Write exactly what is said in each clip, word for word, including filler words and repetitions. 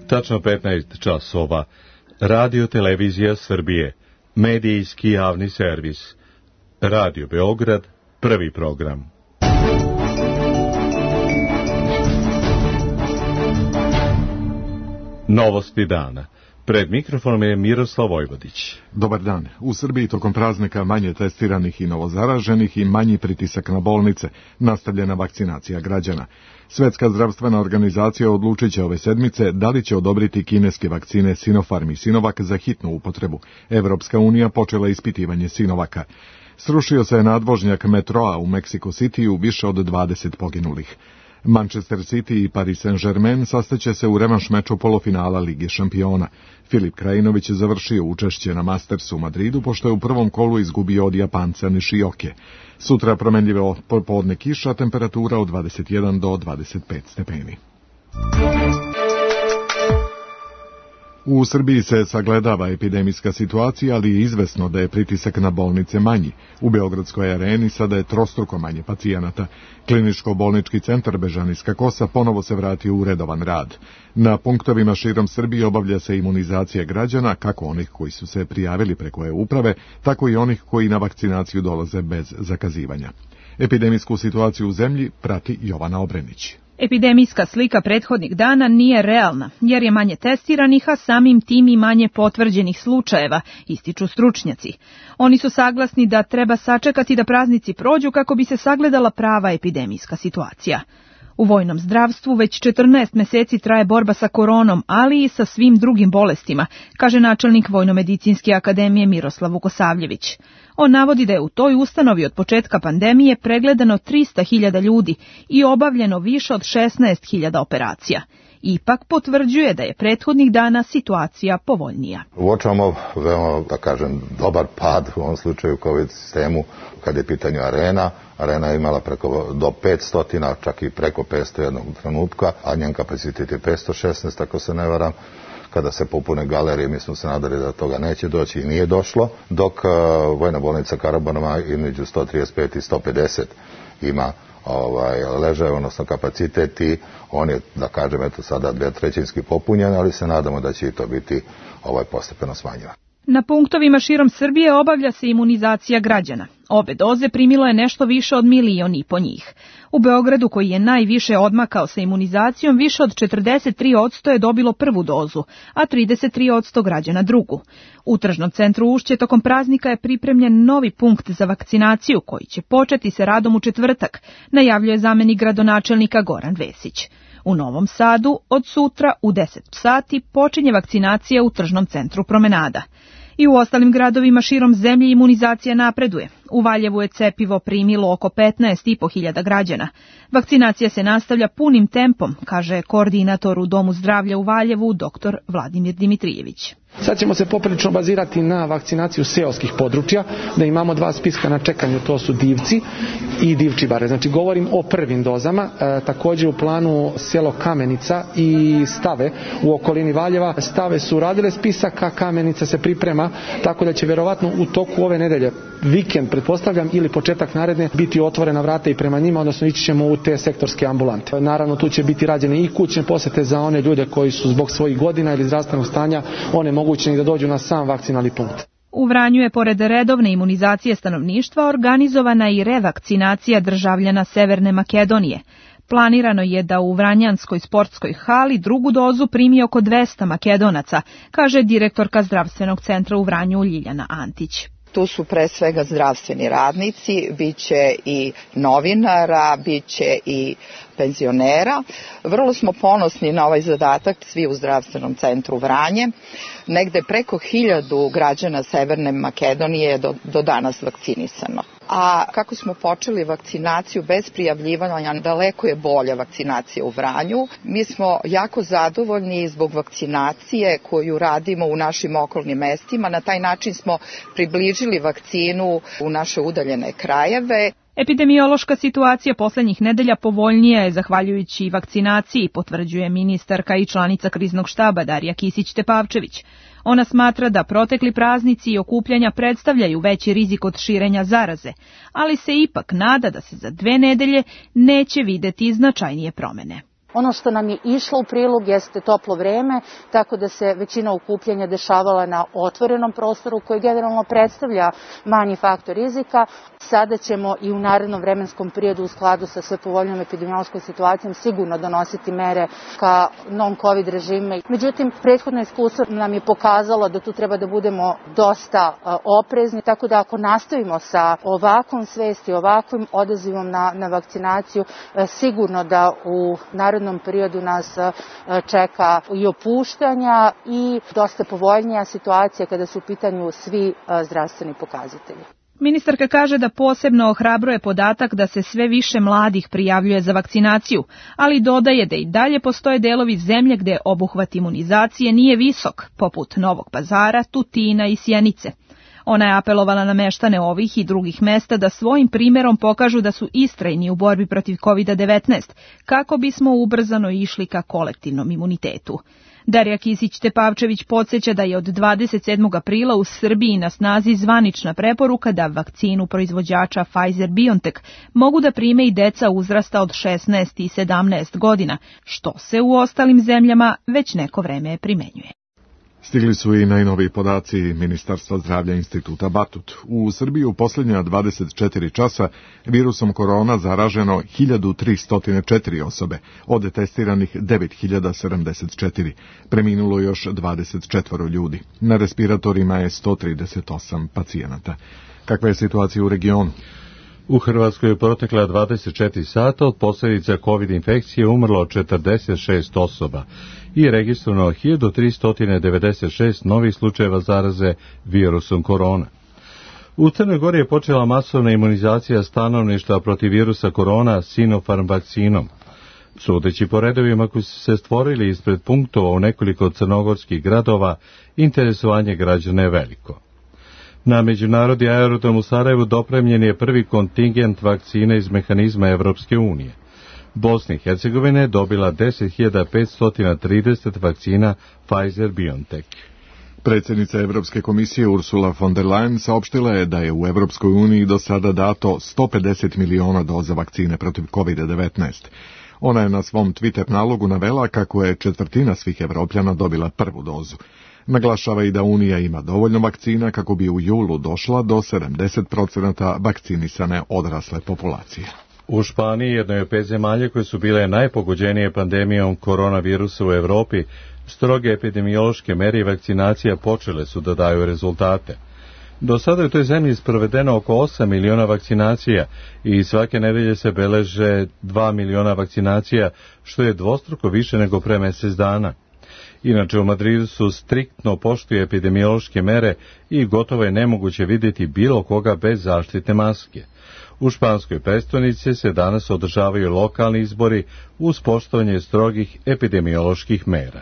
Tačno petnaest časova. Radio Televizija Srbije. Medijski javni servis. Radio Beograd. Prvi program. Novosti dana. Pred mikrofonom je Miroslav Vojvodić. Dobar dan. U Srbiji tokom praznika manje testiranih i novozaraženih i manji pritisak na bolnice, nastavljena vakcinacija građana. Svetska zdravstvena organizacija odlučit će ove sedmice da li će odobriti kineske vakcine Sinopharm i Sinovac za hitnu upotrebu. Evropska unija počela ispitivanje Sinovaka. Srušio se nadvožnjak metroa u Mexico City-u, više od dvadeset poginulih. Manchester City i Paris Saint-Germain sastaće se u revanš meču polufinala Lige šampiona. Filip Krajinović je završio učešće na Mastersu u Madridu, pošto je u prvom kolu izgubio od Japanca Nishioke. Sutra promenljivo popodne kiša, temperatura od dvadeset jedan do dvadeset pet stepeni. U Srbiji se sagledava epidemijska situacija, ali je izvesno da je pritisak na bolnice manji. U Beogradskoj areni sada je trostruko manje pacijenata. Kliničko-bolnički centar Bežanijska Kosa ponovo se vratio u redovan rad. Na punktovima širom Srbije obavlja se imunizacija građana, kako onih koji su se prijavili preko e-uprave, tako i onih koji na vakcinaciju dolaze bez zakazivanja. Epidemijsku situaciju u zemlji prati Jovana Obrenić. Epidemijska slika prethodnih dana nije realna, jer je manje testiranih, a samim tim i manje potvrđenih slučajeva, ističu stručnjaci. Oni su saglasni da treba sačekati da praznici prođu kako bi se sagledala prava epidemijska situacija. U vojnom zdravstvu već četrnaest meseci traje borba sa koronom, ali i sa svim drugim bolestima, kaže načelnik Vojnomedicinske akademije Miroslav Vukosavljević. On navodi da je u toj ustanovi od početka pandemije pregledano trista hiljada ljudi i obavljeno više od šesnaest hiljada operacija. Ipak potvrđuje da je prethodnih dana situacija povoljnija. Uočavamo veoma, da kažem, dobar pad u ovom slučaju COVID sistemu kad je pitanju arena. Arena je imala preko do petsto, čak i preko petsto jednog trenutka, a njen kapacitet je petsto šesnaest, ako se ne varam. Kada se popune galerije, mi smo se nadali da toga neće doći i nije došlo, dok uh, Vojna bolnica Karaburma između sto trideset pet i sto pedeset ima ovaj, ležaje, odnosno kapacitet i on je, da kažem, eto sada dve trećinski popunjen, ali se nadamo da će i to biti ovaj, postepeno smanjivo. Na punktovima širom Srbije obavlja se imunizacija građana. Obe doze primilo je nešto više od milion i po njih. U Beogradu, koji je najviše odmakao sa imunizacijom, više od četrdeset tri posto je dobilo prvu dozu, a trideset tri posto građana drugu. U tržnom centru Ušće tokom praznika je pripremljen novi punkt za vakcinaciju koji će početi sa radom u četvrtak, najavljuje zamenik gradonačelnika Goran Vesić. U Novom Sadu od sutra u deset sati počinje vakcinacija u tržnom centru Promenada. I u ostalim gradovima širom zemlje imunizacija napreduje. U Valjevu je cepivo primilo oko petnaest i po hiljada građana. Vakcinacija se nastavlja punim tempom, kaže koordinator u Domu zdravlja u Valjevu, doktor Vladimir Dimitrijević. Sad ćemo se poprilično bazirati na vakcinaciju seoskih područja, da imamo dva spiska na čekanju, to su Divci i Divčibare. Znači govorim o prvim dozama, e, također u planu selo Kamenica i Stave u okolini Valjeva. Stave su radile spisak, a Kamenica se priprema, tako da će verovatno u toku ove nedelje, vikend pretpostavljam, ili početak naredne, biti otvorena vrata i prema njima, odnosno ići ćemo u te sektorske ambulante. Naravno tu će biti rađene i kućne posete za one ljude koji su zbog svojih godina ili zdravstvenog stanja one mogućni da dođu na sam vakcinalni punkt. U Vranju je pored redovne imunizacije stanovništva organizovana i revakcinacija državljana Severne Makedonije. Planirano je da u Vranjanskoj sportskoj hali drugu dozu primi oko dvesta Makedonaca, kaže direktorka zdravstvenog centra u Vranju Ljiljana Antić. Tu su pre svega zdravstveni radnici, bit će i novinara, bit će i penzionera. Vrlo smo ponosni na ovaj zadatak, svi u zdravstvenom centru Vranje. Negde preko hiljadu građana Severne Makedonije je do, do danas vakcinisano. A kako smo počeli vakcinaciju bez prijavljivanja, daleko je bolja vakcinacija u Vranju. Mi smo jako zadovoljni zbog vakcinacije koju radimo u našim okolnim mestima. Na taj način smo približili vakcinu u naše udaljene krajeve. Epidemiološka situacija poslednjih nedelja povoljnija je zahvaljujući vakcinaciji, potvrđuje ministarka i članica kriznog štaba Darija Kisić-Tepavčević. Ona smatra da protekli praznici i okupljanja predstavljaju veći rizik od širenja zaraze, ali se ipak nada da se za dve nedelje neće videti značajnije promene. Ono što nam je išlo u prilog jeste toplo vreme, tako da se većina okupljanja dešavala na otvorenom prostoru koji generalno predstavlja manji faktor rizika. Sada ćemo i u narednom vremenskom periodu u skladu sa sve povoljnom epidemiološkom situacijom sigurno donositi mere ka non-covid režime. Međutim, prethodno iskustvo nam je pokazalo da tu treba da budemo dosta oprezni, tako da ako nastavimo sa ovakvom svesti, ovakvim odazivom na, na vakcinaciju, sigurno da u narednom periodu nas čeka i opuštanja i dosta povoljnija situacija kada su u pitanju svi zdravstveni pokazatelji. Ministarka kaže da posebno ohrabruje podatak da se sve više mladih prijavljuje za vakcinaciju, ali dodaje da i dalje postoje delovi zemlje gde obuhvat imunizacije nije visok, poput Novog Pazara, Tutina i Sjenice. Ona je apelovala na meštane ovih i drugih mesta da svojim primjerom pokažu da su istrajni u borbi protiv kovid devetnaest, kako bismo ubrzano išli ka kolektivnom imunitetu. Darija Kisić-Tepavčević podsjeća da je od dvadeset sedmog aprila u Srbiji na snazi zvanična preporuka da vakcinu proizvođača Pfizer-BioNTech mogu da prime i deca uzrasta od šesnaest i sedamnaest godina, što se u ostalim zemljama već neko vreme primenjuje. Stigli su i najnoviji podaci Ministarstva zdravlja Instituta Batut. U Srbiji u posljednja dvadeset četiri časa virusom korona zaraženo hiljadu tristo četiri osobe, od testiranih devet hiljada sedamdeset četiri. Preminulo još dvadeset četiri ljudi. Na respiratorima je sto trideset osam pacijenata. Kakva je situacija u regionu? U Hrvatskoj je protekla dvadeset četiri sata od posljedica COVID infekcije umrlo četrdeset šest osoba i registrovano hiljadu tristo devedeset šest novih slučajeva zaraze virusom korona. U Crnoj Gori je počela masovna imunizacija stanovništva protiv virusa korona Sinopharm vakcinom. Sudeći po redovima koji su se stvorili ispred punktova u nekoliko crnogorskih gradova, interesovanje građana je veliko. Na međunarodni aerodrom u Sarajevu dopremljen je prvi kontingent vakcina iz mehanizma Evropske unije. Bosna i Hercegovina je dobila deset hiljada petsto trideset vakcina Pfizer-BioNTech. Predsjednica Evropske komisije Ursula von der Leyen saopštila je da je u Evropskoj uniji do sada dato sto pedeset miliona doza vakcine protiv kovid devetnaest. Ona je na svom Twitter nalogu navela kako je četvrtina svih Evropljana dobila prvu dozu. Naglašava i da Unija ima dovoljno vakcina kako bi u julu došla do sedamdeset posto vakcinisane odrasle populacije. U Španiji, jednoj od pet zemalja koje su bile najpogođenije pandemijom koronavirusa u Evropi, stroge epidemiološke mere i vakcinacija počele su da daju rezultate. Do sada je u toj zemlji sprovedeno oko osam miliona vakcinacija i svake nedelje se beleže dva miliona vakcinacija, što je dvostruko više nego pre mjesec dana. Inače, u Madridu su striktno poštuju epidemiološke mere i gotovo je nemoguće vidjeti bilo koga bez zaštitne maske. U španskoj prestonici se danas održavaju lokalni izbori uz poštovanje strogih epidemioloških mera.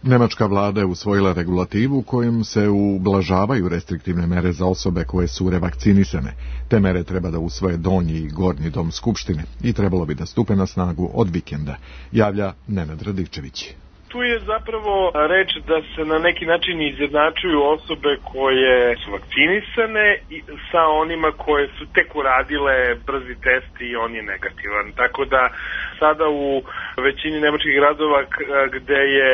Nemačka vlada je usvojila regulativu kojom se ublažavaju restriktivne mere za osobe koje su revakcinisane. Te mere treba da usvoje donji i gornji dom skupštine i trebalo bi da stupe na snagu od vikenda, javlja Nenad Radičević. Tu je zapravo reč da se na neki način izjednačuju osobe koje su vakcinisane sa onima koje su tek uradile brzi test i on je negativan. Tako da sada u većini nemačkih gradova gde je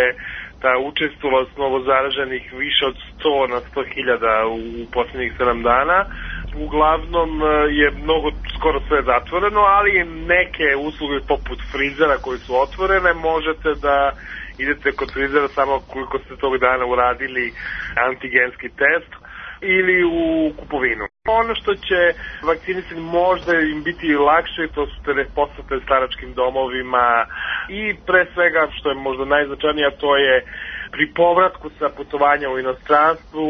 ta učestvovanost novozaraženih više od sto na sto hiljada u posljednjih sedam dana, uglavnom je mnogo, skoro sve zatvoreno, ali neke usluge poput frizera koje su otvorene možete da idete kod frizera samo koliko ste tog dana uradili antigenski test ili u kupovinu. Ono što će vakcinisani možda im biti lakše, to su te posete staračkim domovima i pre svega, što je možda najznačajnije, to je pri povratku sa putovanja u inostranstvu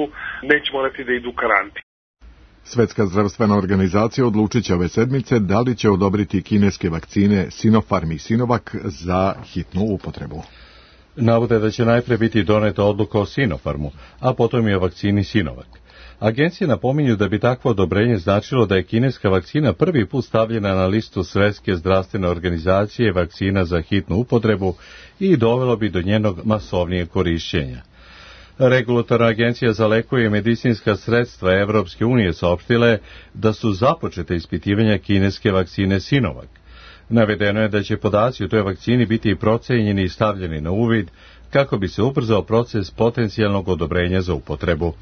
neće morati da idu u karantin. Svetska zdravstvena organizacija odlučit će ove sedmice da li će odobriti kineske vakcine Sinopharm i Sinovac za hitnu upotrebu. Navode da će najpre biti doneta odluka o Sinopharmu, a potom i o vakcini Sinovac. Agencije napominju da bi takvo odobrenje značilo da je kineska vakcina prvi put stavljena na listu Svetske zdravstvene organizacije vakcina za hitnu upotrebu i dovelo bi do njenog masovnijeg korišćenja. Regulatorna agencija za lekove i medicinska sredstva Evropske unije saopštila je da su započete ispitivanja kineske vakcine Sinovac. Navedeno je da će podaci o toj vakcini biti procenjeni i stavljeni na uvid kako bi se ubrzao proces potencijalnog odobrenja za upotrebu.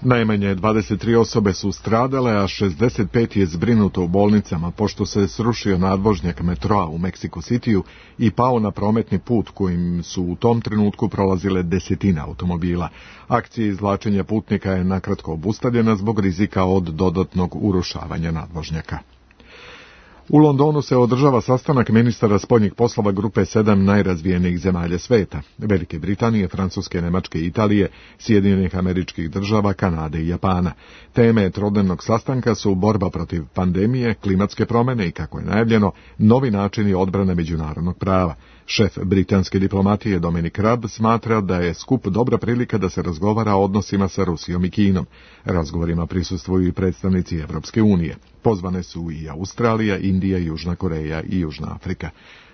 Najmanje dvadeset tri osobe su stradale, a šezdeset pet je zbrinuto u bolnicama pošto se srušio nadvožnjak metroa u Mexico Cityu i pao na prometni put kojim su u tom trenutku prolazile desetine automobila. Akcija izvlačenja putnika je nakratko obustavljena zbog rizika od dodatnog urušavanja nadvožnjaka. U Londonu se održava sastanak ministara spoljnih poslova grupe sedam najrazvijenijih zemalja sveta, Velike Britanije, Francuske, Nemačke, Italije, Sjedinjenih Američkih Država, Kanade i Japana. Teme trodnevnog sastanka su borba protiv pandemije, klimatske promjene i, kako je najavljeno, novi načini odbrane međunarodnog prava. Šef britanske diplomatije Dominic Raab smatra da je skup dobra prilika da se razgovara o odnosima sa Rusijom i Kinom. Razgovorima prisustvuju i predstavnici Evropske unije. Pozvane su i Australija, Indija, Južna Koreja i Južna Afrika.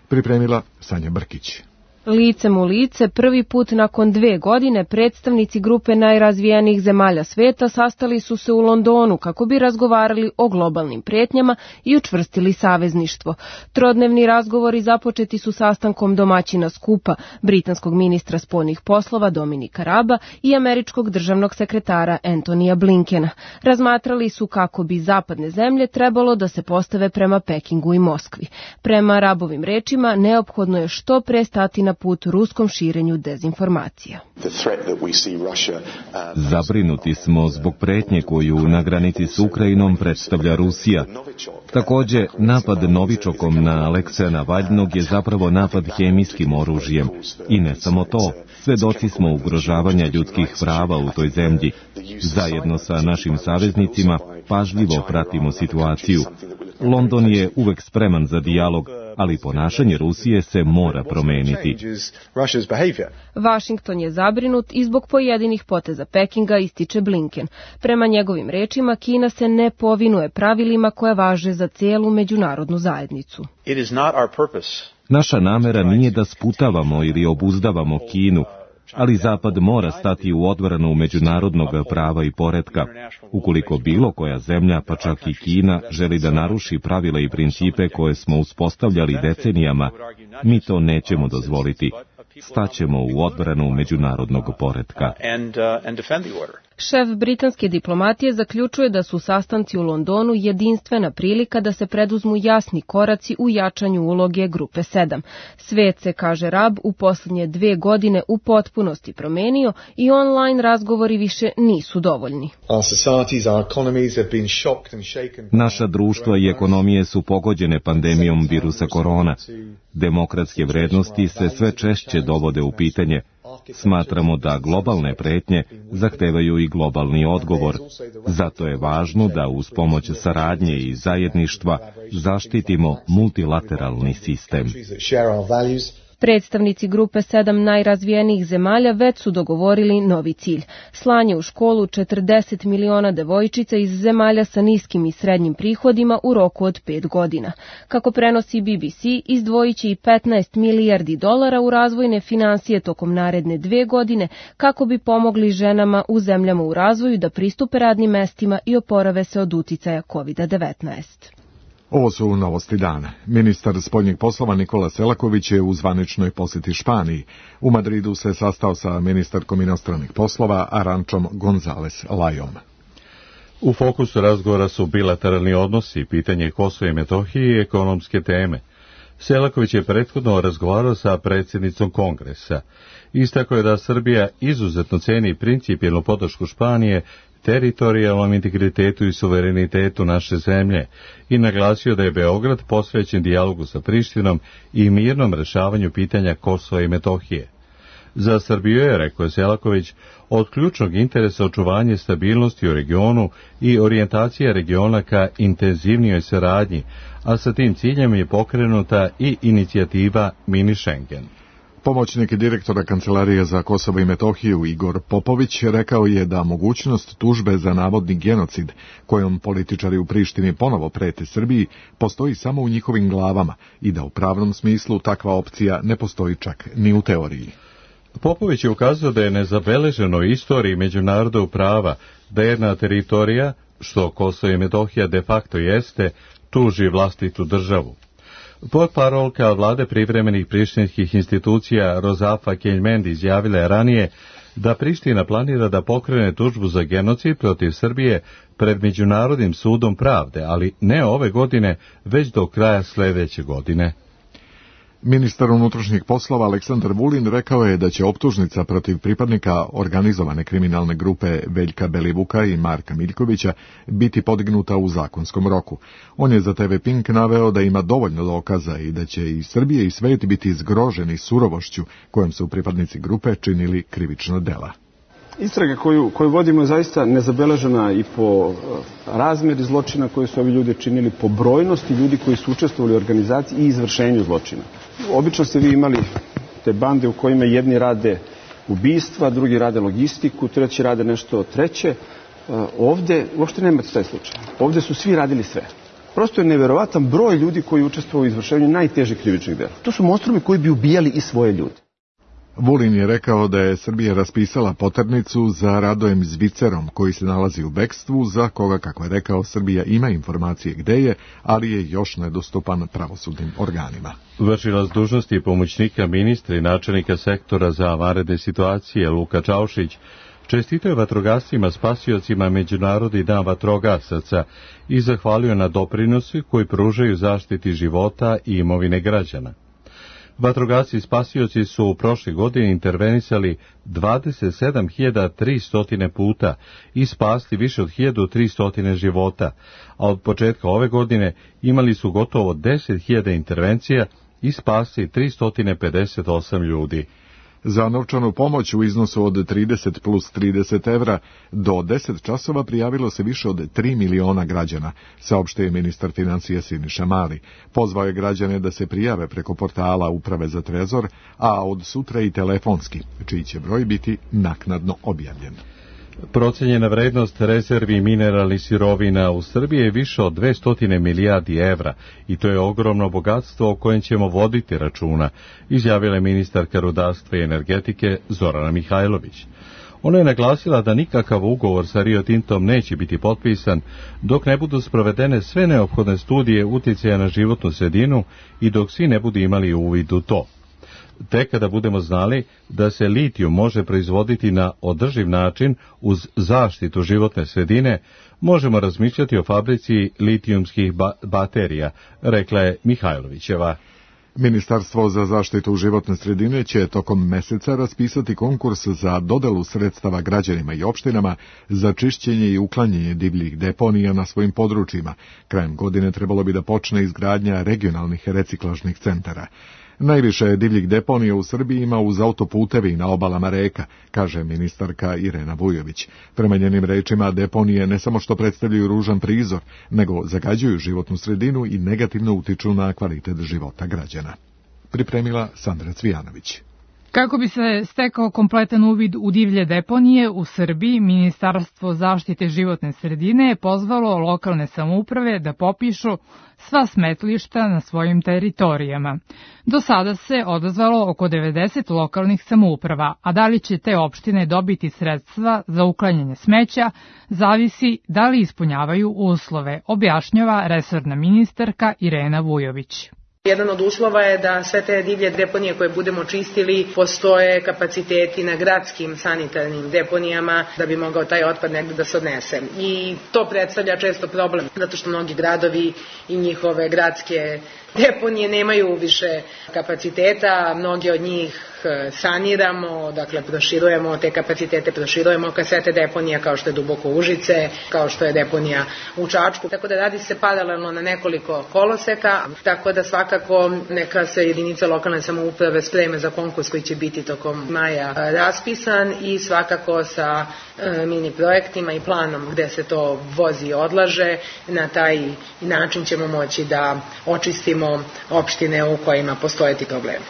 Pripremila Sanja Brkić. Licem u lice, prvi put nakon dve godine, predstavnici grupe najrazvijenijih zemalja sveta sastali su se u Londonu kako bi razgovarali o globalnim pretnjama i učvrstili savezništvo. Trodnevni razgovori započeti su sastankom domaćina skupa, britanskog ministra spoljnih poslova Dominika Raaba i američkog državnog sekretara Antonija Blinkena. Razmatrali su kako bi zapadne zemlje trebalo da se postave prema Pekingu i Moskvi. Prema Raabovim rečima, neophodno je što pre stati na put ruskom širenju dezinformacija. Zabrinuti smo zbog pretnje koju na granici s Ukrajinom predstavlja Rusija. Također, napad novičokom na Alekseja Navalnog je zapravo napad hemijskim oružjem. I ne samo to, svedoci smo ugrožavanja ljudskih prava u toj zemlji. Zajedno sa našim saveznicima pažljivo pratimo situaciju. London je uvek spreman za dijalog, ali ponašanje Rusije se mora promeniti. Vašington je zabrinut i zbog pojedinih poteza Pekinga, ističe Blinken. Prema njegovim rečima, Kina se ne povinuje pravilima koje važe za cijelu međunarodnu zajednicu. Naša namera nije da sputavamo ili obuzdavamo Kinu, ali Zapad mora stati u odbranu međunarodnog prava i poretka. Ukoliko bilo koja zemlja, pa čak i Kina, želi da naruši pravila i principe koje smo uspostavljali decenijama, mi to nećemo dozvoliti. Staćemo u odbranu međunarodnog poretka. Šef britanske diplomatije zaključuje da su sastanci u Londonu jedinstvena prilika da se preduzmu jasni koraci u jačanju uloge grupe sedam. Svet se, kaže Raab, u posljednje dve godine u potpunosti promenio i online razgovori više nisu dovoljni. Naša društva i ekonomije su pogođene pandemijom virusa korona. Demokratske vrednosti se sve češće dovode u pitanje. Smatramo da globalne pretnje zahtevaju i globalni odgovor. Zato je važno da uz pomoć saradnje i zajedništva zaštitimo multilateralni sistem. Predstavnici grupe sedam najrazvijenijih zemalja već su dogovorili novi cilj. Slanje u školu četrdeset miliona devojčica iz zemalja sa niskim i srednjim prihodima u roku od pet godina. Kako prenosi B B C, izdvojit će i petnaest milijardi dolara u razvojne financije tokom naredne dve godine kako bi pomogli ženama u zemljama u razvoju da pristupe radnim mestima i oporave se od uticaja kovid devetnaest. Ovo su novosti dana. Ministar spoljnih poslova Nikola Selaković je u zvaničnoj posjeti Španiji. U Madridu se sastao sa ministarkom inostranih poslova Arančom González Lajom. U fokusu razgovora su bilateralni odnosi, pitanje Kosova i Metohije i ekonomske teme. Selaković je prethodno razgovarao sa predsjednicom Kongresa. Istakao je da Srbija izuzetno ceni principijelnu podršku Španije teritorijalnom integritetu i suverenitetu naše zemlje i naglasio da je Beograd posvećen dijalogu sa Prištinom i mirnom rešavanju pitanja Kosova i Metohije. Za Srbiju je, rekao je Selaković, od ključnog interesa očuvanje stabilnosti u regionu i orijentacija regiona ka intenzivnijoj saradnji, a sa tim ciljem je pokrenuta i inicijativa Mini Schengen. Pomoćnik direktora Kancelarije za Kosovo i Metohiju Igor Popović rekao je da mogućnost tužbe za navodni genocid, kojom političari u Prištini ponovo prete Srbiji, postoji samo u njihovim glavama i da u pravnom smislu takva opcija ne postoji čak ni u teoriji. Popović je ukazao da je nezabeleženo u istoriji međunarodnog prava da jedna teritorija, što Kosovo i Metohija de facto jeste, tuži vlastitu državu. Potparolka vlade privremenih prištinskih institucija Rozafa Keljmendi izjavila je ranije da Priština planira da pokrene tužbu za genocid protiv Srbije pred Međunarodnim sudom pravde, ali ne ove godine, već do kraja sledeće godine. Ministar unutrašnjih poslova Aleksandar Vulin rekao je da će optužnica protiv pripadnika organizovane kriminalne grupe Veljka Belivuka i Marka Miljkovića biti podignuta u zakonskom roku. On je za te ve Pink naveo da ima dovoljno dokaza i da će i Srbije i svet biti zgroženi surovošću kojom su pripadnici grupe činili krivična dela. Istraga koju, koju vodimo je zaista nezabeležena i po razmeri zločina koje su ovi ljudi činili, po brojnosti ljudi koji su učestvovali u organizaciji i izvršenju zločina. Obično ste vi imali te bande u kojima jedni rade ubistva, drugi rade logistiku, treći rade nešto treće. Ovde uopšte nema taj slučaj. Ovde su svi radili sve. Prosto je neverovatan broj ljudi koji učestvuju u izvršenju najtežih krivičnih dela. To su monstrumi koji bi ubijali i svoje ljude. Vulin je rekao da je Srbija raspisala poternicu za Radojem Zvicerom, koji se nalazi u bekstvu, za koga, kako je rekao, Srbija ima informacije gde je, ali je još nedostupan pravosudnim organima. Vršilac dužnosti pomoćnika ministra i načelnika sektora za vanredne situacije Luka Čaušić čestitao je vatrogascima spasiocima Međunarodni dan vatrogasaca i zahvalio na doprinosu koji pružaju zaštiti života i imovine građana. Vatrogasci spasioci su u prošle godine intervenisali dvadeset sedam hiljada tristo puta i spasli više od hiljadu tristo života, a od početka ove godine imali su gotovo deset hiljada intervencija i spasli tristo pedeset osam ljudi. Za novčanu pomoć u iznosu od trideset plus trideset evra do deset časova prijavilo se više od tri miliona građana, saopštio je ministar financija Siniša Mali. Pozvao je građane da se prijave preko portala Uprave za trezor, a od sutra i telefonski, čiji će broj biti naknadno objavljen. Procenjena vrednost rezervi mineralnih sirovina u Srbiji je više od dvesta milijardi evra i to je ogromno bogatstvo o kojem ćemo voditi računa, izjavila je ministarka rudarstva i energetike Zorana Mihajlović. Ona je naglasila da nikakav ugovor sa Rio Tintom neće biti potpisan dok ne budu sprovedene sve neophodne studije uticaja na životnu sredinu i dok svi ne budu imali uvid u to. Tek kada budemo znali da se litijum može proizvoditi na održiv način uz zaštitu životne sredine, možemo razmišljati o fabrici litijumskih ba- baterija, rekla je Mihajlovićeva. Ministarstvo za zaštitu životne sredine će tokom meseca raspisati konkurs za dodelu sredstava građanima i opštinama za čišćenje i uklanjanje divljih deponija na svojim područjima. Krajem godine trebalo bi da počne izgradnja regionalnih reciklažnih centara. Najviše divljih deponija u Srbiji ima uz autoputevi i na obalama reka, kaže ministarka Irena Vujović. Prema njenim rečima, deponije ne samo što predstavljaju ružan prizor, nego zagađuju životnu sredinu i negativno utiču na kvalitet života građana. Pripremila Sandra Cvijanović. Kako bi se stekao kompletan uvid u divlje deponije u Srbiji, Ministarstvo zaštite životne sredine je pozvalo lokalne samouprave da popišu sva smetlišta na svojim teritorijama. Do sada se odazvalo oko devedeset lokalnih samouprava, a da li će te opštine dobiti sredstva za uklanjanje smeća, zavisi da li ispunjavaju uslove, objašnjava resorna ministarka Irena Vujović. Jedan od uslova je da sve te divlje deponije koje budemo čistili postoje kapaciteti na gradskim sanitarnim deponijama da bi mogao taj otpad negde da se odnese. I to predstavlja često problem, zato što mnogi gradovi i njihove gradske deponije nemaju više kapaciteta, mnogi od njih saniramo, dakle proširujemo te kapacitete, proširujemo kasete deponija kao što je Duboko Užice, kao što je deponija u Čačku, tako da radi se paralelno na nekoliko koloseka, tako da svakako neka se jedinica lokalne samouprave spreme za konkurs koji će biti tokom maja raspisan i svakako sa mini projektima i planom gde se to vozi i odlaže, na taj način ćemo moći da očistimo opštine u kojima postoje ti problemi.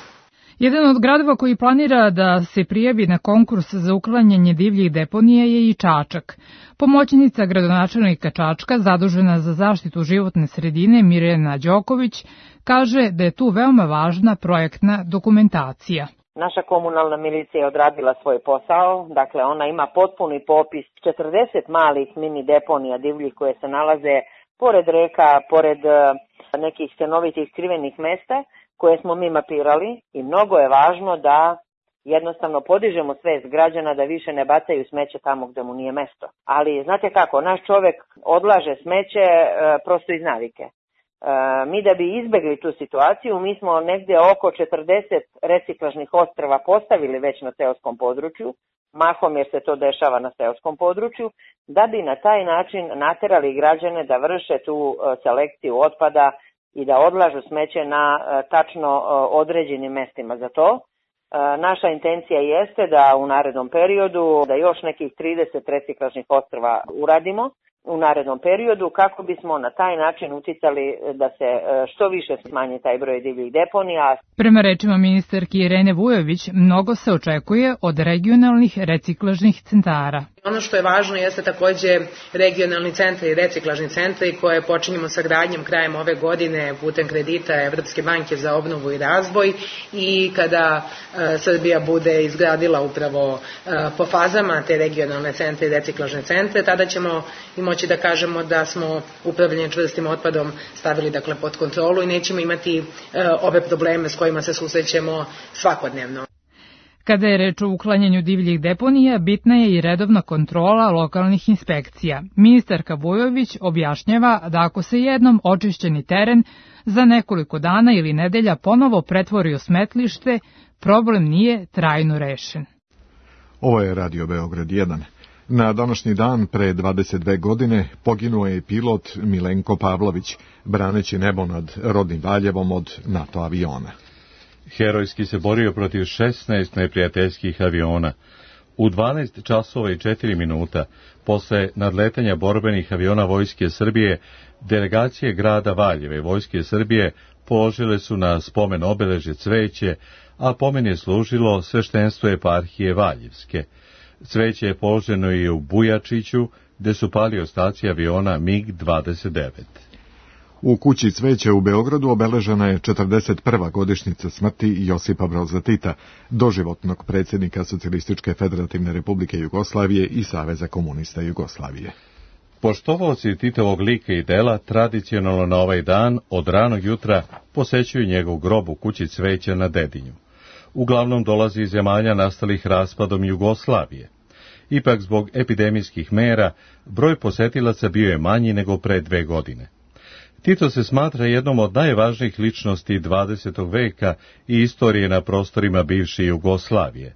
Jedan od gradova koji planira da se prijavi na konkurs za uklanjanje divljih deponija je i Čačak. Pomoćnica gradonačelnika Čačka, zadužena za zaštitu životne sredine, Mirjana Đoković, kaže da je tu veoma važna projektna dokumentacija. Naša komunalna milicija je odradila svoj posao, dakle ona ima potpuni popis četrdeset malih mini deponija divljih koje se nalaze pored reka, pored nekih stanovitih skrivenih mesta koje smo mi mapirali i mnogo je važno da jednostavno podižemo svest građana da više ne bacaju smeće tamo gde mu nije mesto. Ali znate kako, naš čovek odlaže smeće e, prosto iz navike. E, mi da bi izbegli tu situaciju, mi smo negde oko četrdeset reciklažnih ostrva postavili već na seoskom području, mahom jer se to dešava na seoskom području, da bi na taj način naterali građane da vrše tu e, selekciju otpada i da odlažu smeće na e, tačno e, određenim mestima za to. Naša intencija jeste da u narednom periodu, da još nekih trideset reciklažnih ostrva uradimo u narednom periodu, kako bismo na taj način uticali da se što više smanji taj broj divljih deponija. Prema rečima ministarke Irene Vujović, mnogo se očekuje od regionalnih reciklažnih centara. Ono što je važno jeste takođe regionalni centri i reciklažni centri koje počinjemo sa gradnjom krajem ove godine putem kredita Evropske banke za obnovu i razvoj i kada e, Srbija bude izgradila upravo e, po fazama te regionalne centre i reciklažne centre, tada ćemo i moći da kažemo da smo upravljanje čvrstim otpadom stavili dakle pod kontrolu i nećemo imati e, ove probleme s kojima se susrećemo svakodnevno. Kada je reč o uklanjanju divljih deponija, bitna je i redovna kontrola lokalnih inspekcija. Ministarka Vujović objašnjava da ako se jednom očišćeni teren za nekoliko dana ili nedelja ponovo pretvori u smetlište, problem nije trajno rešen. Ovo je Radio Beograd jedan. Na današnji dan pre dvadeset dve godine poginuo je pilot Milenko Pavlović, braneći nebo nad rodnim Valjevom od NATO aviona. Herojski se borio protiv šesnaest neprijateljskih aviona. U dvanaest časova i četiri minuta, posle nadletanja borbenih aviona Vojske Srbije, delegacije grada Valjeve Vojske Srbije položile su na spomen obeležje cveće, a pomen je služilo sveštenstvo eparhije Valjevske. Cveće je položeno i u Bujačiću, gde su pali ostaci aviona MiG dvadeset devet. U kući Cveće u Beogradu obeležena je četrdeset prva godišnjica smrti Josipa Broza Tita, doživotnog predsjednika Socijalističke federativne republike Jugoslavije i Saveza komunista Jugoslavije. Poštovaoci Titovog lika i dela tradicionalno na ovaj dan od ranog jutra posećuju njegov grob u kući Cveća na Dedinju. Uglavnom dolazi iz zemalja nastalih raspadom Jugoslavije. Ipak zbog epidemijskih mera broj posetilaca bio je manji nego pre dve godine. Tito se smatra jednom od najvažnijih ličnosti dvadesetog veka i istorije na prostorima bivše Jugoslavije.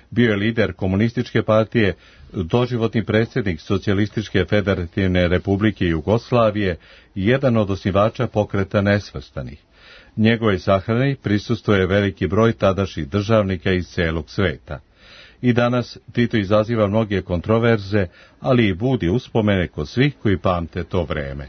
Bio je lider komunističke partije, doživotni predsjednik Socijalističke federativne republike Jugoslavije i jedan od osnivača pokreta nesvrstanih. Njegove sahrani prisustvuje veliki broj tadašnjih državnika iz celog sveta. I danas Tito izaziva mnoge kontroverze, ali i budi uspomene kod svih koji pamte to vreme.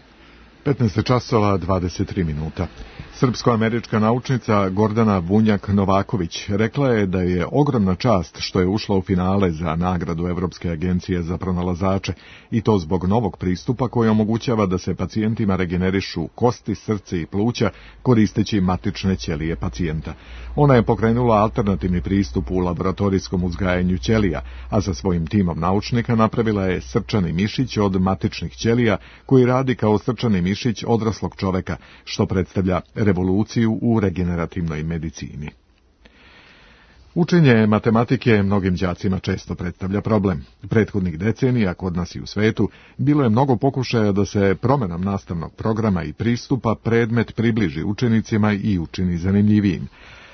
petnaest časova dvadeset tri minuta. Srpsko-američka naučnica Gordana Bunjak-Novaković rekla je da je ogromna čast što je ušla u finale za nagradu Evropske agencije za pronalazače i to zbog novog pristupa koji omogućava da se pacijentima regenerišu kosti, srce i pluća koristeći matične ćelije pacijenta. Ona je pokrenula alternativni pristup u laboratorijskom uzgajanju ćelija, a sa svojim timom naučnika napravila je srčani mišić od matičnih ćelija koji radi kao srčani mišić odraslog čoveka, što predstavlja revoluciju u regenerativnoj medicini. Učenje matematike mnogim đacima često predstavlja problem. Prethodnih decenija, kod nas i u svetu, bilo je mnogo pokušaja da se promenom nastavnog programa i pristupa predmet približi učenicima i učini zanimljivijim.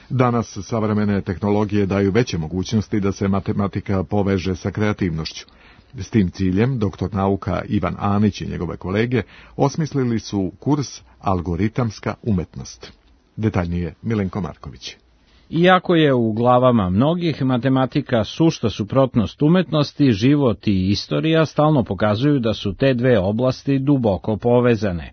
Danas savremene tehnologije daju veće mogućnosti da se matematika poveže sa kreativnošću. S tim ciljem, doktor nauka Ivan Anić i njegove kolege osmislili su kurs Algoritamska umetnost. Detaljnije Milenko Marković. Iako je u glavama mnogih matematika sušta suprotnost umetnosti, život i istorija stalno pokazuju da su te dve oblasti duboko povezane.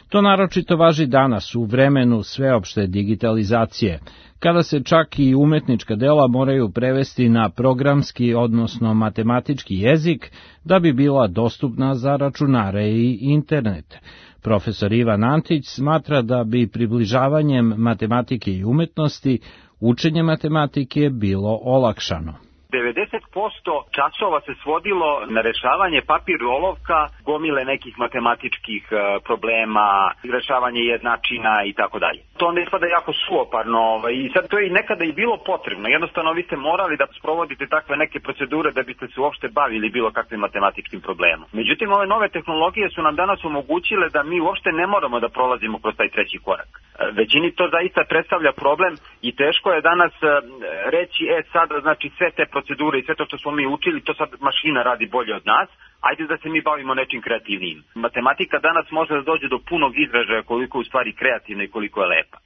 To naročito važi danas u vremenu sveopšte digitalizacije, kada se čak i umetnička dela moraju prevesti na programski, odnosno matematički jezik, da bi bila dostupna za računare i internet. Profesor Ivan Antić smatra da bi približavanjem matematike i umetnosti učenje matematike bilo olakšano. devedeset posto časova se svodilo na rešavanje papir olovka, gomile nekih matematičkih problema, rešavanje jednačina i tako dalje. To ne ispada jako suoparno i sad to je i nekada i bilo potrebno. Jednostavno vi ste morali da sprovodite takve neke procedure da biste se uopšte bavili bilo kakvim matematičkim problemom. Međutim, ove nove tehnologije su nam danas omogućile da mi uopšte ne moramo da prolazimo kroz taj treći korak. Većini to zaista predstavlja problem i teško je danas reći, e sada znači sve te procedure i sve to što smo mi učili, to sad mašina radi bolje od nas, ajde da se mi bavimo nečim kreativnijim. Matematika danas može da dođe do punog izražaja koliko je u stvari kreativna i koliko je lepa.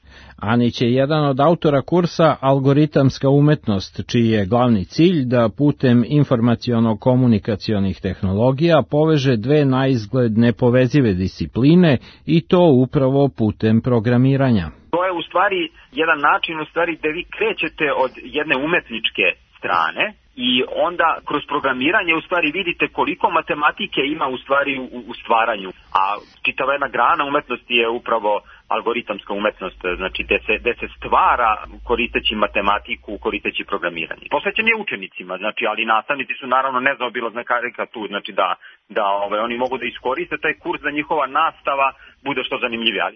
Anić je jedan od autora kursa Algoritamska umetnost, čiji je glavni cilj da putem informaciono-komunikacionih tehnologija poveže dve naizgled nepovezive discipline i to upravo putem programiranja. To je u stvari jedan način u stvari gde vi krećete od jedne umetničke strane i onda kroz programiranje u stvari vidite koliko matematike ima u stvari u, u stvaranju, a čitava jedna grana umetnosti je upravo algoritamska umetnost, znači gde se, gde se stvara koristeći matematiku, koristeći programiranje. Posvećen je učenicima, znači, ali nastavnici su naravno nezaobilazna karika tu, znači da, da ove, oni mogu da iskoriste taj kurs da njihova nastava bude što zanimljivija.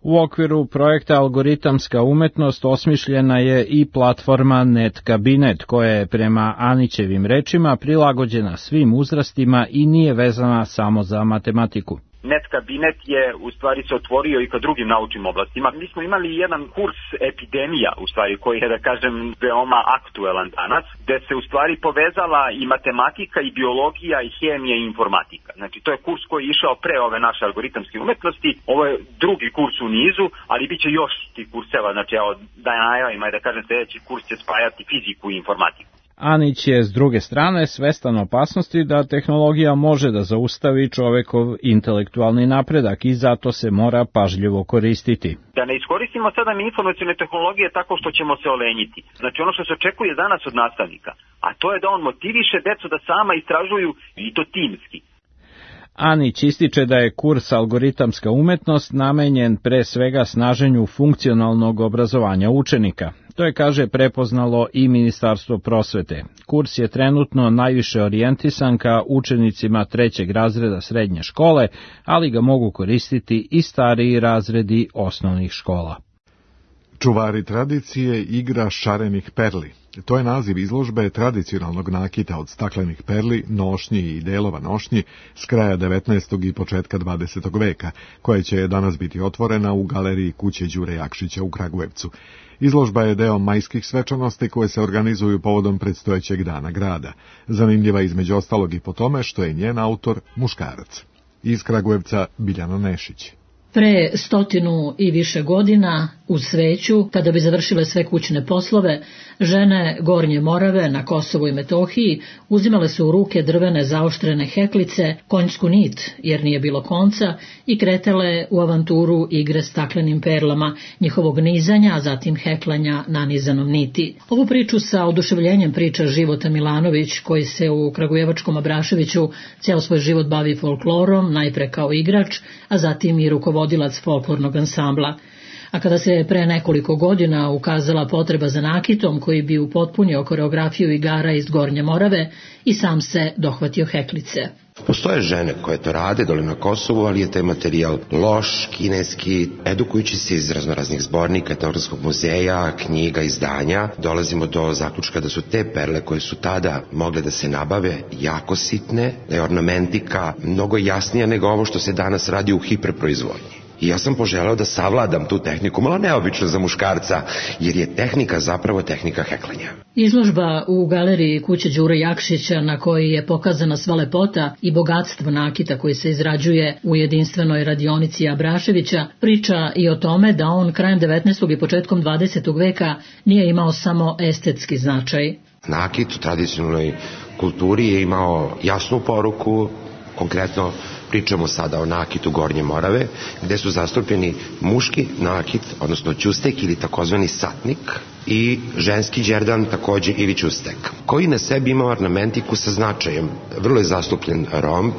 U okviru projekta Algoritamska umetnost osmišljena je i platforma NetKabinet, koja je prema Anićevim rečima prilagođena svim uzrastima i nije vezana samo za matematiku. NetKabinet je u stvari se otvorio i ka drugim naučnim oblastima. Mi smo imali jedan kurs epidemija, u stvari, koji je, da kažem, veoma aktuelan danas, gde se u stvari povezala i matematika, i biologija, i hemija, i informatika. Znači, to je kurs koji je išao pre ove naše algoritamske umetnosti. Ovo je drugi kurs u nizu, ali bit će još tih kurseva. Znači, evo, da najavim, da kažem, sljedeći kurs će spajati fiziku i informatiku. Anić je s druge strane svestan opasnosti da tehnologija može da zaustavi čovekov intelektualni napredak i zato se mora pažljivo koristiti. Da ne iskoristimo sada mi informacione tehnologije tako što ćemo se olenjiti. Znači ono što se očekuje danas od nastavnika, a to je da on motiviše decu da sama istražuju i to timski. Anić ističe da je kurs Algoritamska umetnost namenjen pre svega snaženju funkcionalnog obrazovanja učenika. To je, kaže, prepoznalo i Ministarstvo prosvete. Kurs je trenutno najviše orijentisan ka učenicima trećeg razreda srednje škole, ali ga mogu koristiti i stariji razredi osnovnih škola. Čuvari tradicije igra šarenih perli. To je naziv izložbe tradicionalnog nakita od staklenih perli, nošnji i delova nošnji s kraja devetnaestog i početka dvadesetog veka, koja će danas biti otvorena u galeriji kuće Đure Jakšića u Kragujevcu. Izložba je deo majskih svečanosti koje se organizuju povodom predstojećeg dana grada. Zanimljiva između ostalog i po tome što je njen autor muškarac. Iz Kragujevca Biljana Nešić. Pre stotinu i više godina, uz sveću, kada bi završile sve kućne poslove, žene Gornje Morave na Kosovu i Metohiji uzimale su u ruke drvene zaoštrene heklice, konjsku nit, jer nije bilo konca, i kretale u avanturu igre staklenim perlama, njihovog nizanja, a zatim heklanja nanizanom niti. Ovu priču sa oduševljenjem priča Života Milanović, koji se u Kragujevačkom Abraševiću ceo svoj život bavi folklorom, najpre kao igrač, a zatim i rukovodilac folklornog ansambla. A kada se pre nekoliko godina ukazala potreba za nakitom koji bi upotpunio koreografiju igara iz Gornje Morave, i sam se dohvatio heklice. Postoje žene koje to rade dole na Kosovu, ali je taj materijal loš, kineski. Edukujući se iz raznoraznih zbornika, etnografskog muzeja, knjiga, izdanja, dolazimo do zaključka da su te perle koje su tada mogle da se nabave jako sitne, da je ornamentika mnogo jasnija nego ovo što se danas radi u hiperproizvodnji. I ja sam poželeo da savladam tu tehniku, malo neobično za muškarca, jer je tehnika zapravo tehnika heklanja. Izložba u galeriji kuće Đure Jakšića, na kojoj je pokazana sva lepota i bogatstvo nakita koji se izrađuje u jedinstvenoj radionici Abraševića, priča i o tome da on krajem devetnaestog i početkom dvadesetog veka nije imao samo estetski značaj. Nakit u tradicionalnoj kulturi je imao jasnu poruku, konkretno pričamo sada o nakitu Gornje Morave, gde su zastupljeni muški nakit, odnosno ćustek ili takozvani satnik, i ženski đerdan, takođe ili ćustek, koji na sebi ima ornamentiku sa značajem. Vrlo je zastupljen romb,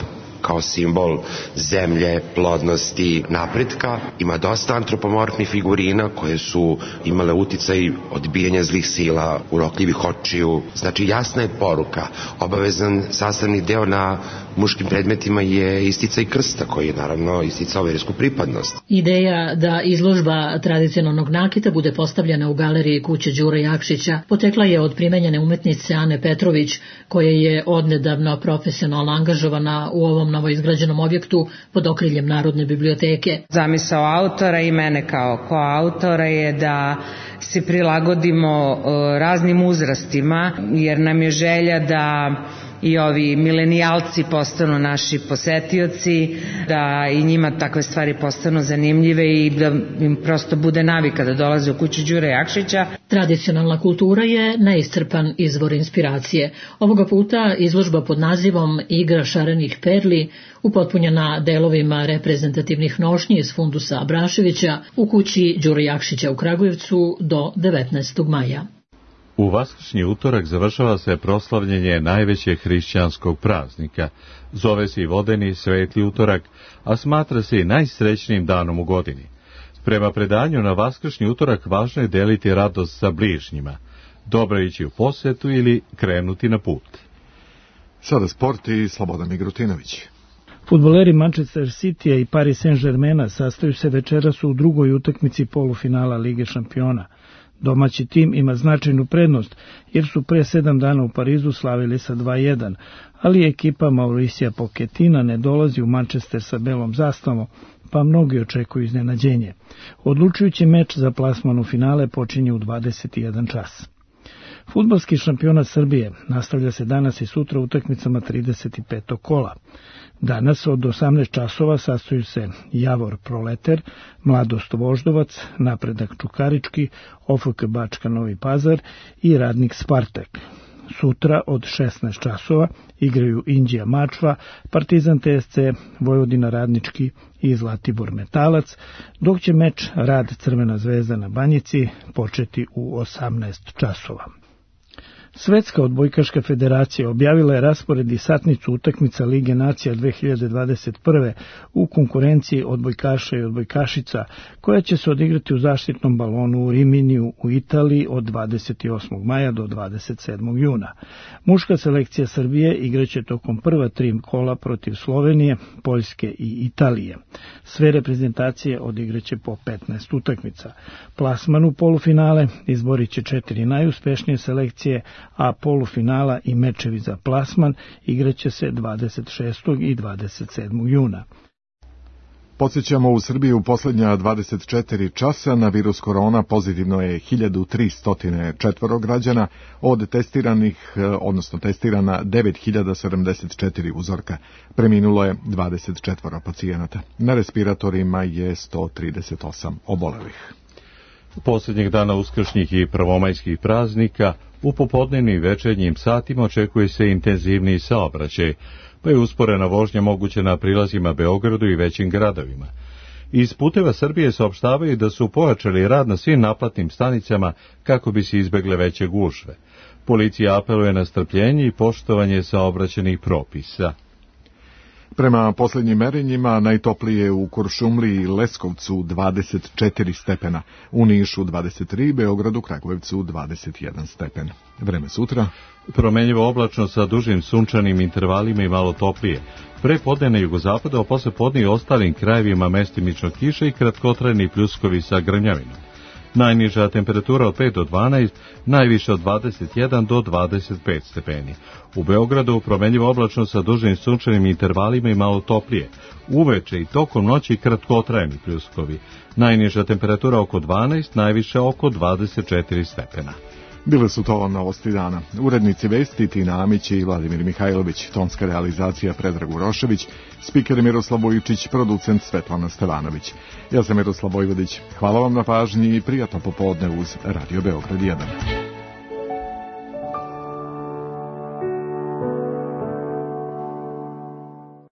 kao simbol zemlje, plodnosti, napretka. Ima dosta antropomorfnih figurina koje su imale uticaj odbijanja zlih sila, urokljivih očiju. Znači jasna je poruka. Obavezan sastavni deo na muškim predmetima je isticaj krsta koji je naravno isticao versku pripadnost. Ideja da izložba tradicionalnog nakita bude postavljena u galeriji kuće Đure Jakšića potekla je od primenjene umetnice Ane Petrović, koja je odnedavno profesionalno angažovana u ovom novoizgrađenom objektu pod okriljem Narodne biblioteke. Zamisao autora i mene kao koautora je da se prilagodimo raznim uzrastima, jer nam je želja da i ovi milenijalci postanu naši posetioci, da i njima takve stvari postanu zanimljive i da im prosto bude navika da dolaze u kuću Đure Jakšića. Tradicionalna kultura je neiscrpan izvor inspiracije. Ovoga puta izložba pod nazivom Igra šarenih perli, upotpunjena delovima reprezentativnih nošnji iz fundusa Abraševića u kući Đure Jakšića u Kragujevcu do devetnaestog maja. U vaskršnji utorak završava se proslavljenje najvećeg hrišćanskog praznika. Zove se i vodeni sveti utorak, a smatra se i najsrećnijim danom u godini. Prema predanju na vaskršnji utorak važno je deliti radost sa bližnjima, dobro ići u posetu ili krenuti na put. Sada sport i Slobodan Migrutinović. Fudbaleri Manchester Citya i Paris Saint-Germaina sastaju se večeras u drugoj utakmici polufinala Lige šampiona. Domaći tim ima značajnu prednost, jer su pre sedam dana u Parizu slavili sa dva jedan, ali ekipa Mauricija Pochettina ne dolazi u Manchester sa belom zastavom, pa mnogi očekuju iznenađenje. Odlučujući meč za plasman u finale počinje u dvadeset jedan čas. Fudbalski šampionat Srbije nastavlja se danas i sutra utakmicama trideset petog kola. Danas od osamnaest časova sastaju se Javor Proleter, Mladost Voždovac, Napredak Čukarički, O F K Bačka Novi Pazar i Radnik Spartak. Sutra od šesnaest časova igraju Inđija Mačva, Partizan T S C, Vojvodina Radnički i Zlatibor Metalac, dok će meč Rad Crvena zvezda na Banjici početi u osamnaest časova. Svetska odbojkaška federacija objavila je raspored i satnicu utakmica Lige nacija dve hiljade dvadeset prve u konkurenciji odbojkaša i odbojkašica, koja će se odigrati u zaštitnom balonu u Riminiju u Italiji od dvadeset osmog maja do dvadeset sedmog juna. Muška selekcija Srbije igraće tokom prva tri kola protiv Slovenije, Poljske i Italije. Sve reprezentacije odigraće po petnaest utakmica. Plasman u polufinale izborit će četiri najuspešnije selekcije, a polufinala i mečevi za plasman igraće se dvadeset šestog i dvadeset sedmog juna. Podsjećamo, u Srbiji u posljednja dvadeset četiri časa na virus korona pozitivno je hiljadu tristo četiri građana, od testiranih, odnosno testirana devet hiljada sedamdeset četiri uzorka. Preminulo je dvadeset četiri pacijenata. Na respiratorima je sto trideset osam obolelih. Posljednjeg dana uskršnjih i prvomajskih praznika u popodnevnim i večernjim satima očekuje se intenzivniji saobraćaj, pa je usporena vožnja moguće na prilazima Beogradu i većim gradovima. Iz Puteva Srbije saopštavaju da su pojačali rad na svim naplatnim stanicama kako bi se izbegle veće gužve. Policija apeluje na strpljenje i poštovanje saobraćajnih propisa. Prema posljednjim merenjima najtoplije u Kuršumliji i Leskovcu dvadeset četiri stepena, u Nišu dvadeset tri, Beogradu, Kragujevcu dvadeset jedan stepen. Vreme sutra? Promenljivo oblačno sa dužim sunčanim intervalima i malo toplije. Pre podne na jugozapadu, a posle podne i ostalim krajevima mestimično kiša i kratkotrajni pljuskovi sa grmljavinom. Najniža temperatura od pet do dvanaest, najviše od dvadeset jedan do dvadeset pet stepeni. U Beogradu promenljivo oblačno sa dužim sunčanim intervalima i malo toplije. Uveče i tokom noći kratkotrajni pljuskovi. Najniža temperatura oko dvanaest, najviše oko dvadeset četiri stepena. Bile su to novosti dana. Urednici vesti Tina Amić i Vladimir Mihajlović, tonska realizacija Predrag Urošević, spiker Miroslav Vujčić, producent Svetlana Stevanović. Ja sam Miroslav Vojvodić. Hvala vam na pažnji i prijatno popodne uz Radio Beograd jedan.